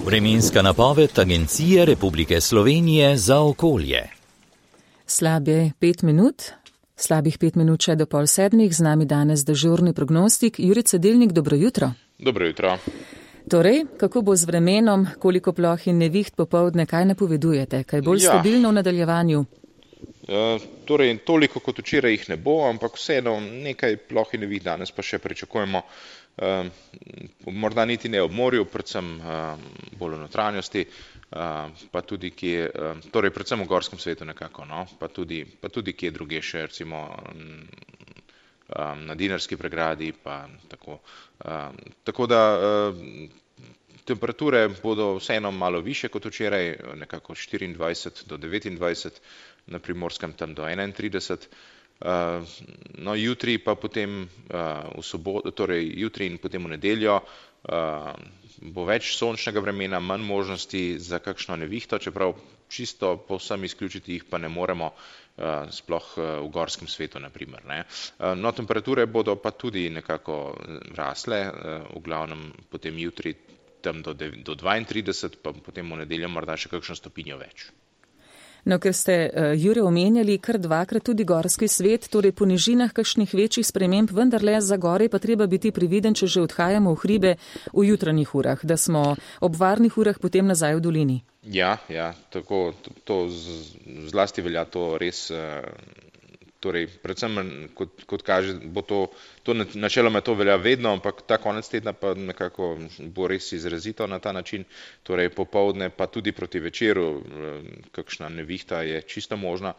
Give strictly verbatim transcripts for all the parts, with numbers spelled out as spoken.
Vremenska napoved Agencije Republike Slovenije za okolje. Slabe pet minut, slabih pet minut še do pol sedmih, z nami danes dežurni prognostik. Jure Cedelnik, dobro jutro. Dobro jutro. Torej, kako bo z vremenom, koliko ploh in neviht popoldne, kaj napovedujete? Kaj bolj ja. stabilno v nadaljevanju? E, torej, toliko kot včeraj jih ne bo, ampak vseeno nekaj ploh in neviht danes pa še pričakujemo. E, morda niti ne ob morju, predvsem e, bolj v notranjosti, e, pa tudi kje, e, torej predvsem v gorskem svetu nekako, no, pa tudi, pa tudi kje druge še, recimo na Dinarski pregradi, pa tako. Um, tako da um, temperature bodo vseeno malo više kot včeraj, nekako štiriindvajset do devetindvajset, na Primorskem tam do enaintrideset. Uh, no, jutri pa potem uh, v soboto, torej jutri in potem v nedeljo uh, bo več sončnega vremena, manj možnosti za kakšno nevihto, čeprav čisto povsem izključiti jih pa ne moremo, uh, sploh uh, v gorskem svetu, na primer, ne. Uh, no, temperature bodo pa tudi nekako rasle, uh, v glavnem potem jutri tam do, do dvaintrideset, pa potem v nedeljo morda še kakšno stopinjo več. No, ker ste, uh, Jure, omenjali kar dvakrat tudi gorski svet, torej po nižinah kakšnih večjih sprememb, vendarle za gore pa treba biti prividen, če že odhajamo v hribe v jutranjih urah, da smo ob varnih urah potem nazaj v dolini. Ja, ja, tako, to, to z, zlasti velja to res, uh, torej predvsem, kot, kot kaže, bo to, to načeloma to velja vedno, ampak ta konec tedna pa nekako bo res izrazito na ta način, torej popoldne pa tudi proti večeru, kakšna nevihta je čisto možna.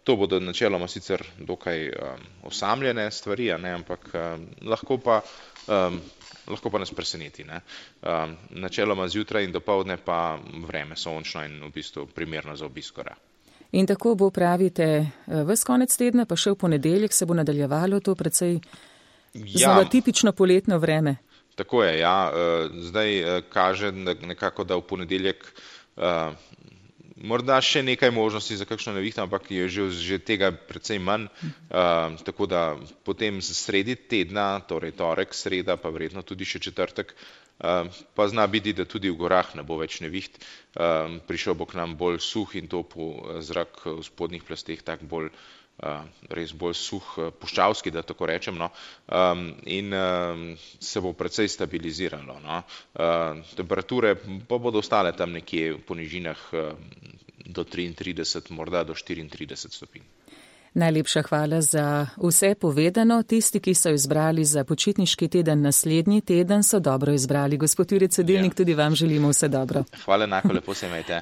To bodo načeloma sicer dokaj um, osamljene stvari, a ne, ampak um, lahko pa um, lahko pa nas preseneti, ne. Um, načeloma zjutraj in dopoldne pa vreme sončno in v bistvu primerno za obisk gora. In tako bo, pravite, ves konec tedna, pa še v ponedeljek se bo nadaljevalo to precej ja, znova tipično poletno vreme. Tako je, ja. Zdaj kaže nekako, da v ponedeljek uh, morda še nekaj možnosti za kakšno nevihto, ampak je že, že tega precej manj. Uh, tako da potem sredi tedna, torej torek, sreda, pa verjetno tudi še četrtek, Uh, pa zna biti, da tudi v gorah ne bo več neviht, uh, prišel bo k nam bolj suh in topel zrak v spodnjih plasteh, tak bolj, uh, res bolj suh, puščavski, da tako rečem, no, um, in um, se bo precej stabiliziralo, no. Uh, temperature pa bodo ostale tam nekje po nižinah uh, do triintrideset, morda do štiriintrideset stopinj. Najlepša hvala za vse povedano. Tisti, ki so izbrali za počitniški teden naslednji teden, so dobro izbrali. Gospod Jure Cedelnik, ja. Tudi vam želimo vse dobro. Hvala enako, lepo se imejte.